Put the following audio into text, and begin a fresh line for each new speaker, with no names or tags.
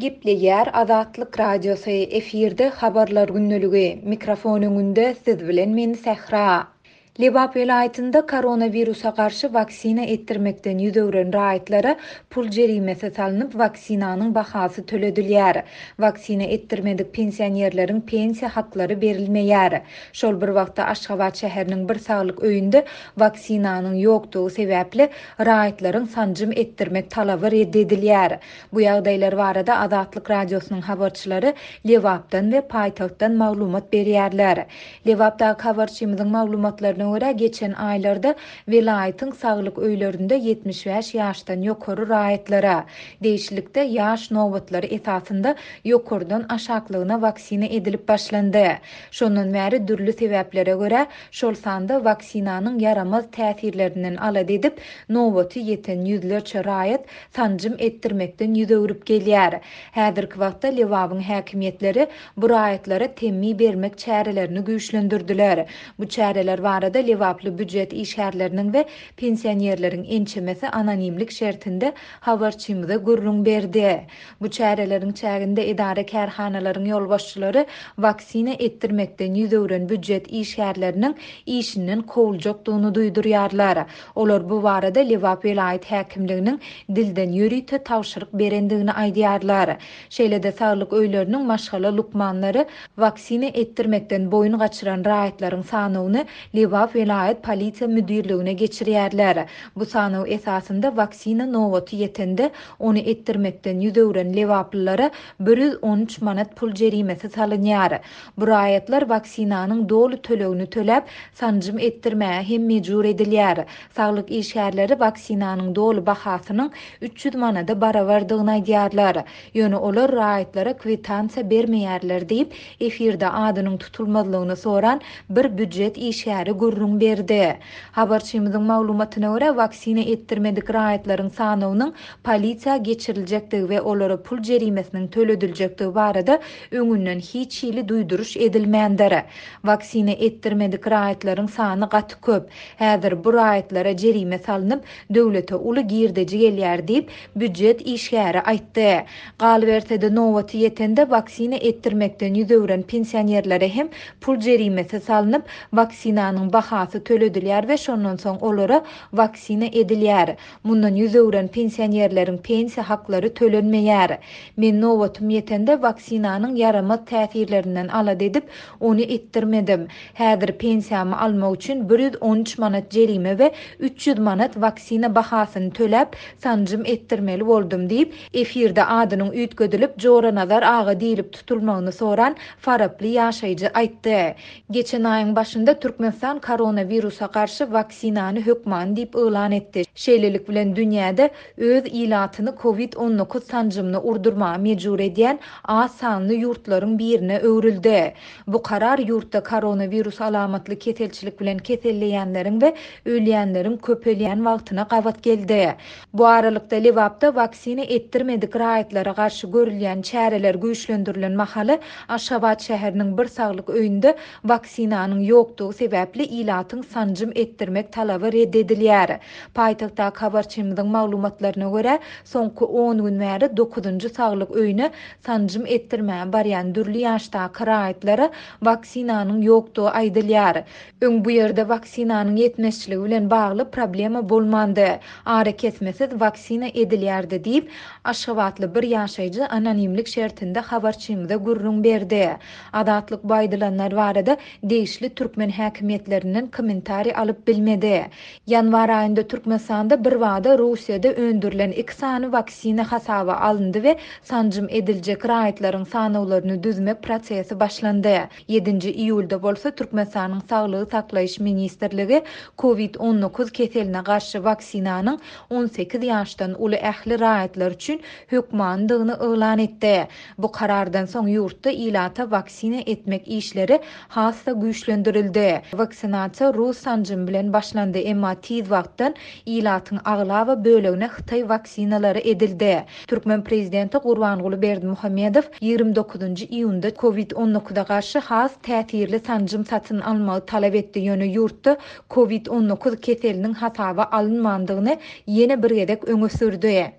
Gepleýär Azatlyk Radiosy, efirde Habarlar gündeligi, mikrofon öňünde siz bilen men Sähra. Lebap welaýatynda koronawirusa garşy waksina etdirmekden ýüz öwren raýatlara pul jerimesi salnyp, waksinanyň bahasy töledilýär. Waksina etdirmedik pensionerleriň pensiýa haklary berilmeýär. Şol bir wagtda Aşgabat şäheriniň bir saglyk öýünde waksinanyň ýokdugy sebäpli raýatlaryň sanjym etdirmek talaby red edilýär. Bu ýagdaýlar barada Azatlyk Radiosynyň habarçylary Lebapdan we paýtagtdan maglumat berýärler. Lebapdaky habarçymyzyň maglumatlaryna görä, geçen aýlarda welaýatyň saglyk öýlerinde 75 ýaşdan ýokary raýatlara, degişlilikde ýaş nobatlary esasynda ýokardan aşaklygyna waksina edilip başlandy. Şondan bäri dürli sebäplere görä, şol sanda waksinanyň ýaramaz täsirlerinden alada edip, nobaty ýeten ýüzlerçe raýat sanjym etdirmekden ýüz öwrüp gelýär. Häzirki wagtda Lebabyň häkimiýetleri bu raýatlara temmi bermek çärelerini güýçlendirdiler. Bu çäreler barada lebaply býujet işgärleriniň we pensionerleriň ençemesi anonimlik şertinde habarçymyza gürrüň berdi. Bu çäreleriň çäginde edara-kärhanalaryň ýolbaşçylary waksina etdirmekden ýüz öwren býujet işgärleriniň işinden kowuljakdygyny duýdurýarlar. Olar bu barada Lebap welaýat häkimliginiň dilden ýörite tabşyryk berendigini aýdýarlar. Şeýle-de saglyk öýleriniň maşgala lukmanlary waksina etdirmekden boýun gaçyran raýatlaryň sanawyny Lebap welaýat polisiýa müdirligine geçirýärler. Bu sanaw esasynda waksina nobaty ýetende, ony etdirmekden ýüz öwren lebaplylara 113 manat pul jerimesi salynýar. Bu raýatlar waksinanyň doly tölegini töläp, sanjym etdirmäge hem mejbur edilýär. Saglyk işgärleri waksinanyň doly bahasynyň 300 manada barabardygyny aýdýarlar. Ýöne olar raýatlara kwitansiýa bermeýärler diýip, efirde adynyň tutulmazlygyny soran bir býujet işgäri gürrüň berdi. Habarçymyzyň maglumatyna görä, waksina etdirmedik raýatlaryň sanawynyň polisiýa geçiriljekdigi we olara pul jerimesiniň tölediljekdigi barada öňünden hiç hili duýduryş edilmändir. Waksina etdirmedik raýatlaryň sany gaty köp. Häzir bu raýatlara jerime salnyp, döwlete uly girdeji gelýär diýip, býujet işgäri aýtdy. Galyberse-de, nobaty ýetende waksina etdirmekden ýüz öwren pensionerlere hem pul jerimesi salnyp, waksinanyň bahasy töledilýär we şondan soň olara waksina edilýär. Mundan ýüz öwren pensionerleriň pensiýa haklary tölenmeýär. Men nobatym ýetende waksinanyň ýaramaz täsirlerinden alada edip, ony etdirmedim. Häzir pensiýamy almak üçin 113 manat jerime we 300 manat waksina bahasyny töläp, sanjym etdirmeli boldum diýip, efirde adynyň üýtgedilip Joranazar aga diýlip tutulmagyny soran faraply ýaşaýjy aýtdy. Geçen aýyň başynda Türkmenistan koronawirusa garşy waksinany hökmany diýip yglan etdi. Şeýlelik bilen dünýäde öz ilatyny covid 19 sanjymyny urdurmaga mejbur edýän az sanly ýurtlaryň birine öwrüldi. Bu karar ýurtda koronawirus alamatly keselçilik bilen keselleýänleriň we ölýänleriň köpelýän wagtyna gabat geldi. Bu aralykda Lebapda waksina etdirmedik raýatlara garşy görülýän çäreler güýçlendirilen mahaly Aşgabat şäheriniň bir saglyk öýünde waksinanyň ýokdugy sebäpli ilatyň sanjym etdirmek talaby red edilýär. Paýtagtdaky habarçymyzyň maglumatlaryna görä, soňky on gün bäri dokuzynjy saglyk öýüne sanjym etdirmäge barýan dürli ýaşdaky raýatlara waksinanyň ýokdugy aýdylýar. Öň bu ýerde waksinanyň ýetmezçiligi bilen bagly problema bolmandy. Arakesmesiz waksina edilýärdi diýip, aşgabatly bir ýaşaýjy anonimlik şertinde habarçymyza gürrüň berdi. Azatlyk bu aýdylanlar barada degişli türkmen häkimiýetlerinden kommentariý alyp bilmedi. Ýanwar aýynda Türkmenistanda birbada Russiýada öndürilen iki sany waksina hasaba alyndy we sanjym ediljek raýatlaryň sanawlaryny düzmek prosesi başlandy. Ýedinji iýulda bolsa Türkmenistanyň Saglygy saklaýyş ministrligi Covid 19 keseline garşy waksinanyň 18 ýaşdan uly ähli raýatlar üçin hökmanydygyny yglan etdi. Bu karardan soň ýurtda ilata waksina etmek işleri has-da güýçlendirildi. Waksinasiýa rus sanjymy bilen başlandy, emma tiz wagtdan ilatyň aglaba bölegine hytaý waksinalary edildi. Türkmen prezidenti Gurbanguly Berdimuhamedow 29-njy iýunda Covid 19-a garşy has täsirli sanjym satyn almagy talap etdi, ýöne ýurtda Covid 19 keseliniň hasaba alynmandygyny ýene bir gezek öňe sürdi.